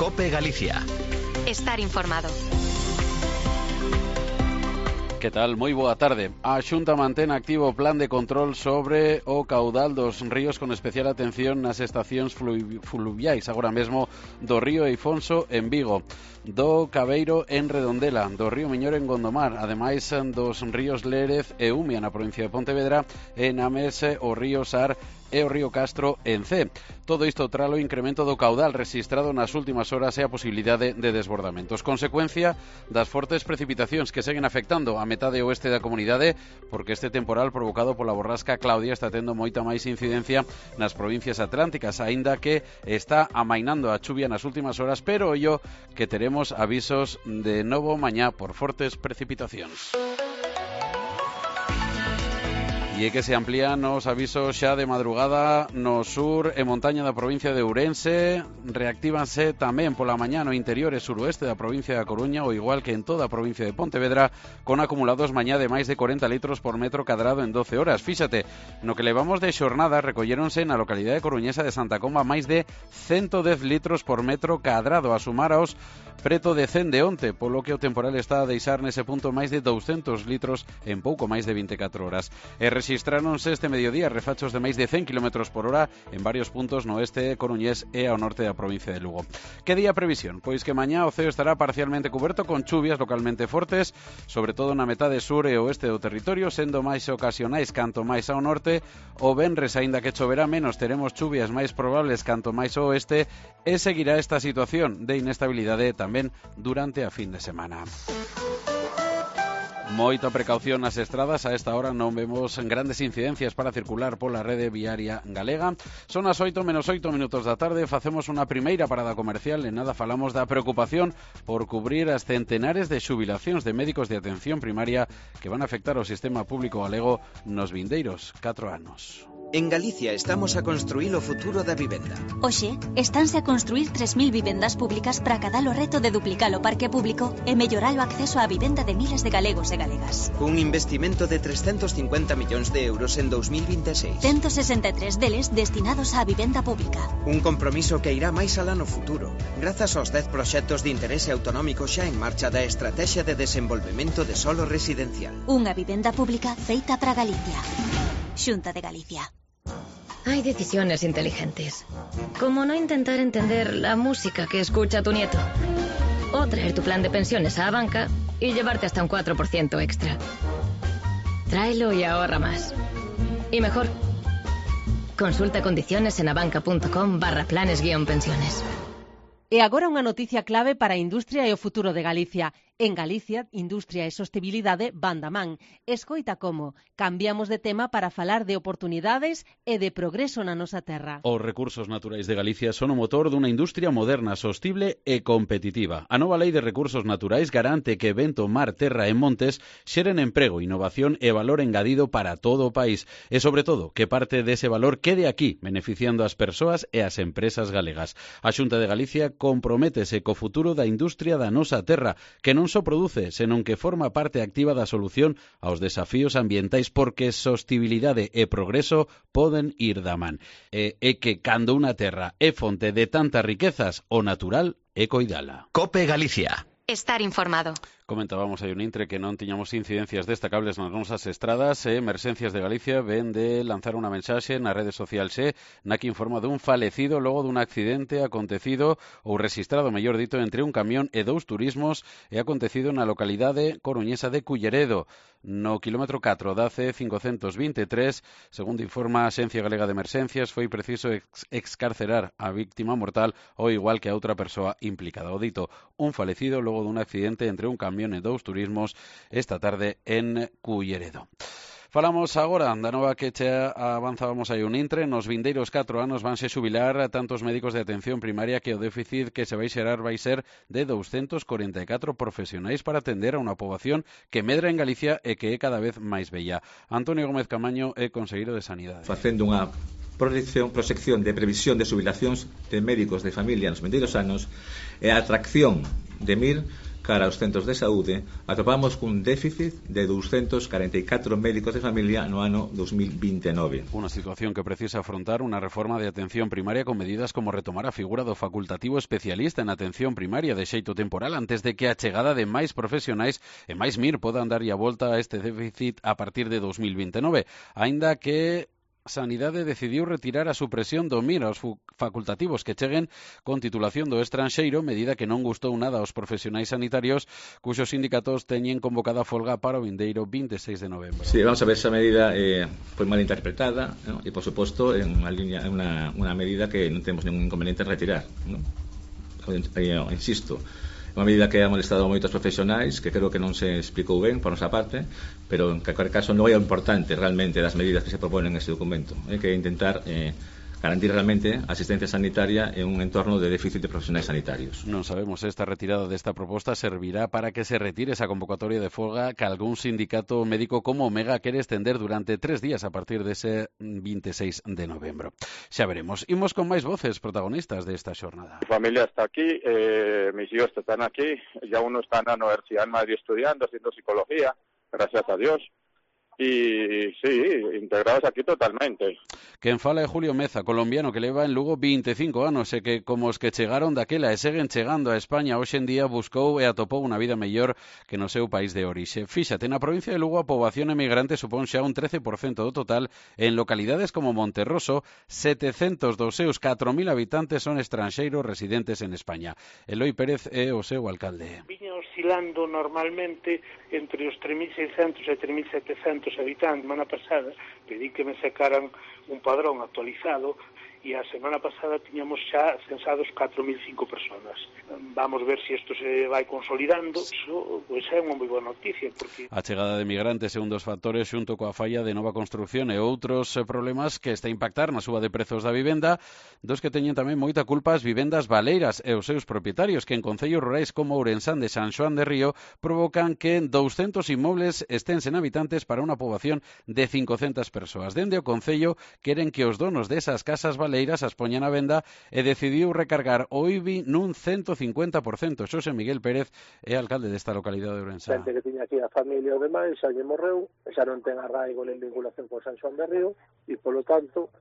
COPE Galicia. Estar informado. Que tal? Moi boa tarde. A Xunta mantén activo o plan de control sobre o caudal dos ríos con especial atención nas estacións fluviais, agora mesmo do río Eifonso en Vigo, do Cabeiro en Redondela, do río Miñor en Gondomar, ademais dos ríos Lérez e Umia na provincia de Pontevedra, e na Mese o río Sar e o río Castro en C. Todo isto tralo incremento do caudal rexistrado nas últimas horas e a posibilidade de desbordamentos. Consecuencia das fortes precipitacións que seguen afectando a metade oeste da comunidade, porque este temporal provocado pola borrasca Claudia está tendo moita máis incidencia nas provincias atlánticas, aínda que está amainando a chuvia nas últimas horas, pero ollo que teremos avisos de novo mañá por fortes precipitacións. E que se amplían os avisos xa de madrugada no sur e montaña da provincia de Ourense. Reactívanse tamén pola mañá no interior e suroeste da provincia da Coruña, ao igual que en toda a provincia de Pontevedra, con acumulados mañá de máis de 40 litros por metro cadrado en 12 horas. Fíxate, no que levamos de xornada recolléronse na localidade coruñesa de Santa Comba máis de 110 litros por metro cadrado, a sumar aos preto de 100 de onte, polo que o temporal está a deixar nese punto máis de 200 litros en pouco máis de 24 horas. E rexistráronse este mediodía refachos de máis de 100 km por hora en varios puntos no oeste coruñés e ao norte da provincia de Lugo. Que día previsión? Pois que mañá o ceo estará parcialmente cuberto con chuvias localmente fortes, sobre todo na metade sur e oeste do territorio, sendo máis ocasionais canto máis ao norte. O venres, aínda que choverá menos, teremos chuvias máis probables canto máis ao oeste, e seguirá esta situación de inestabilidade tamén durante a fin de semana. Moita precaución nas estradas, a esta hora non vemos grandes incidencias para circular pola rede viaria galega. Son as 8 menos 8 minutos da tarde, facemos unha primeira parada comercial e nada falamos da preocupación por cubrir as centenares de xubilacións de médicos de atención primaria que van a afectar ao sistema público galego nos vindeiros 4 anos. En Galicia estamos a construir o futuro da vivenda. Oxe, estánse a construir 3.000 vivendas públicas para cadar o reto de duplicar o parque público e mellorar o acceso á vivenda de miles de galegos e galegas. Un investimento de 350 millóns de euros en 2026. 163 deles destinados á vivenda pública. Un compromiso que irá máis alá no futuro, grazas aos 10 proxectos de interese autonómico xa en marcha da Estrategia de Desenvolvemento de Solo Residencial. Unha vivenda pública feita para Galicia. Xunta de Galicia. Hay decisiones inteligentes, como no intentar entender la música que escucha tu nieto, o traer tu plan de pensiones a la banca y llevarte hasta un 4% extra. Tráelo y ahorra más. Y mejor, consulta condiciones en abanca.com/planes-pensiones. E agora unha noticia clave para a industria e o futuro de Galicia. En Galicia, industria e sostibilidade van da man. Escoita como cambiamos de tema para falar de oportunidades e de progreso na nosa terra. Os recursos naturais de Galicia son o motor dunha industria moderna, sostible e competitiva. A nova Lei de Recursos Naturais garante que vento, mar, terra e montes xeren emprego, innovación e valor engadido para todo o país. E, sobre todo, que parte dese valor quede aquí, beneficiando as persoas e as empresas galegas. A Xunta de Galicia comprométese co futuro da industria da nosa terra, que non só produce, senón que forma parte activa da solución aos desafíos ambientais, porque sostibilidade e progreso poden ir da man. E que cando unha terra é fonte de tantas riquezas, o natural é coidala. COPE Galicia. Estar informado. Comentábamos aí un intre que non tiñamos incidencias destacables nas nosas estradas e Emerxencias de Galicia ven de lanzar unha mensaxe na rede social na que informa dun falecido logo dun accidente acontecido ou registrado, mellor dito, entre un camión e 2 turismos e acontecido na localidade coruñesa de Culleredo, no kilómetro 4 da C523. Segundo informa a Axencia Galega de Emerxencias, foi preciso excarcerar a víctima mortal ao igual que a outra persoa implicada. O dito, un falecido logo dun accidente entre un camión e 2 turismos esta tarde en Culleredo. Falamos agora da nova que xa avanzábamos aí un intre. Nos vindeiros 4 anos vanse xubilar a tantos médicos de atención primaria que o déficit que se vai xerar vai ser de 244 profesionais para atender a unha poboación que medra en Galicia e que é cada vez máis bella. Antonio Gómez Camaño é conselleiro de Sanidade. Facendo unha proxección de previsión de xubilacións de médicos de familia nos vindeiros anos e a atracción de MIR cara aos centros de saúde, atopamos cun déficit de 244 médicos de familia no ano 2029. Unha situación que precisa afrontar unha reforma de atención primaria con medidas como retomar a figura do facultativo especialista en atención primaria de xeito temporal antes de que a chegada de máis profesionais e máis MIR podan darlle a volta a este déficit a partir de 2029, aínda que Sanidade decidiu retirar a supresión do MIR aos facultativos que cheguen con titulación do estranxeiro, medida que non gustou nada aos profesionais sanitarios, cuxos sindicatos teñen convocada folga para o vindeiro 26 de novembro. Sí, vamos a ver, esa medida foi mal interpretada, ¿no? E, por suposto, en unha medida que non temos ningún inconveniente en retirar, ¿no? Insisto, unha medida que ha molestado a moitos profesionais, que creo que non se explicou ben por nosa parte, pero en calquer caso non é o importante realmente das medidas que se proponen neste documento, que é intentar garantir realmente a asistencia sanitaria en un entorno de déficit de profesionais sanitarios. Non sabemos se esta retirada desta proposta servirá para que se retire esa convocatoria de folga que algún sindicato médico como Omega quere estender durante 3 días a partir dese 26 de novembro. Xa veremos. Imos con máis voces protagonistas desta xornada. Mi familia está aquí, mis hijos están aquí, ya uno está en la Universidad en Madrid estudiando, haciendo psicología, gracias a Dios. Y sí, integrados aquí totalmente. Quen fala é Julio Meza, colombiano que leva en Lugo 25 anos e que, como os que chegaron daquela e seguen chegando a España hoxe en día, buscou e atopou unha vida mellor que no seu país de orixe. Fíxate, na provincia de Lugo a poboación emigrante supón xa un 13% do total. En localidades como Monterroso, 700 dos seus 4.000 habitantes son estranxeiros residentes en España. Eloi Pérez é o seu alcalde. Viña oscilando normalmente entre os 3.600 e 3.700 habitantes. Semana pasada pedí que me sacaran un padrón actualizado e a semana pasada tiñamos xa censados 4.005 personas. Vamos ver se isto se vai consolidando. Iso pois é unha moi boa noticia, porque a chegada de migrantes é un dos factores xunto coa falla de nova construción e outros problemas que está a impactar na suba de prezos da vivenda, dos que teñen tamén moita culpa as vivendas baleiras e os seus propietarios, que en concellos rurais como Ourensán de San Xoán de Río provocan que 200 inmobles estén sen habitantes para unha poboación de 500 persoas. Dende o concello queren que os donos desas casas baleiras as poñan a venda e decidiu recargar o IBI nun 150%. Xosé Miguel Pérez é alcalde desta localidade de Ourensán. Xente que tiña aquí a familia ou demais, xa lle morreu, xa non ten arraigo nin vinculación con San Xoán de Río e, polo tanto,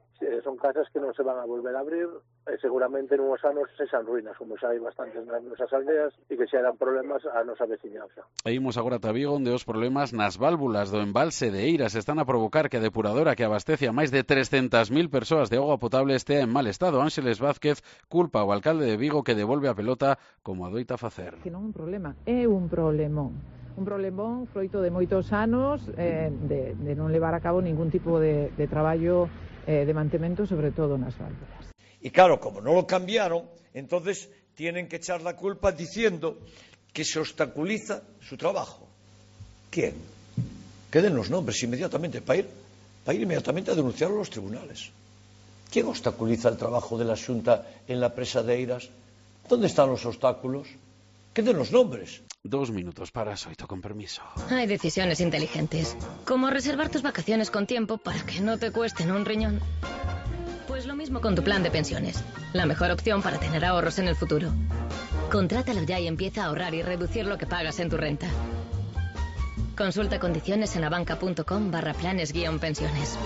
son casas que non se van a volver a abrir e seguramente en uns anos sexan ruínas, como xa hai bastantes nas nosas aldeas e que xa eran problemas a nosa veciñanza. E imos agora a Vigo, onde os problemas nas válvulas do embalse de Eiras están a provocar que a depuradora que abastece a máis de 300.000 persoas de auga potable estea en mal estado. Ángeles Vázquez culpa ao alcalde de Vigo que devolve a pelota como adoita facer. Que non é un problema, é un problemón. Un problemón froito de moitos anos de non levar a cabo ningún tipo de traballo de mantemento, sobre todo nas válvulas. Y claro, como no lo cambiaron, entonces tienen que echar la culpa diciendo que se obstaculiza su trabajo. ¿Quién? Que den los nombres inmediatamente para ir inmediatamente a denunciarlo a los tribunales. ¿Quién obstaculiza el trabajo de la Xunta en la presa de Eiras? ¿Dónde están los obstáculos? Que den los nombres. 2 minutos para as 8, con permiso. Hay decisiones inteligentes, como reservar tus vacaciones con tiempo para que no te cuesten un riñón. Pues lo mismo con tu plan de pensiones, la mejor opción para tener ahorros en el futuro. Contrátalo ya y empieza a ahorrar y reducir lo que pagas en tu renta. Consulta condiciones en abanca.com/planes-pensiones.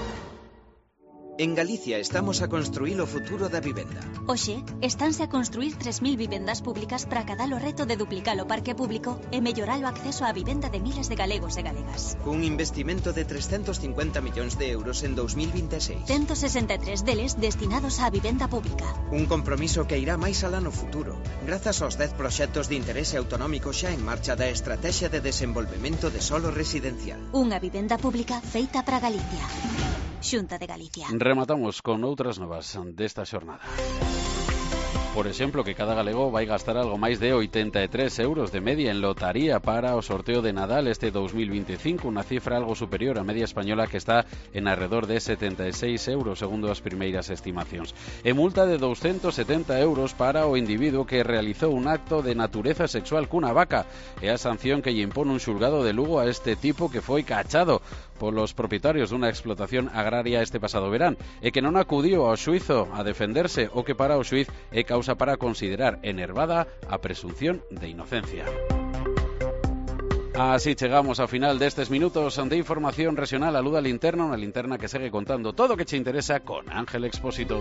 En Galicia estamos a construir o futuro da vivenda. Oxe, estánse a construir 3.000 vivendas públicas para acadar o reto de duplicar o parque público e mellorar o acceso á vivenda de miles de galegos e galegas. Cun investimento de 350 millóns de euros en 2026. 163 deles destinados á vivenda pública. Un compromiso que irá máis alá no futuro, grazas aos 10 proxectos de interese autonómico xa en marcha da Estrategia de Desenvolvemento de Solo Residencial. Unha vivenda pública feita para Galicia. Xunta de Galicia. Rematamos con outras novas desta xornada. Por exemplo, que cada galego vai gastar algo máis de 83 euros de media en lotaría para o sorteo de Nadal este 2025, unha cifra algo superior á media española que está en alrededor de 76 euros, segundo as primeiras estimacións. E multa de 270 euros para o individuo que realizou un acto de natureza sexual cunha vaca. É a sanción que lle impón un xulgado de Lugo a este tipo que foi cachado polos propietarios dunha explotación agraria este pasado verán e que non acudiu ao xuizo a defenderse, o que para o xuiz é causa para considerar enervada a presunción de inocencia. Así llegamos ao final destes minutos de información regional. Aluda a linterna, unha linterna que segue contando todo o que che interesa con Ángel Expósito.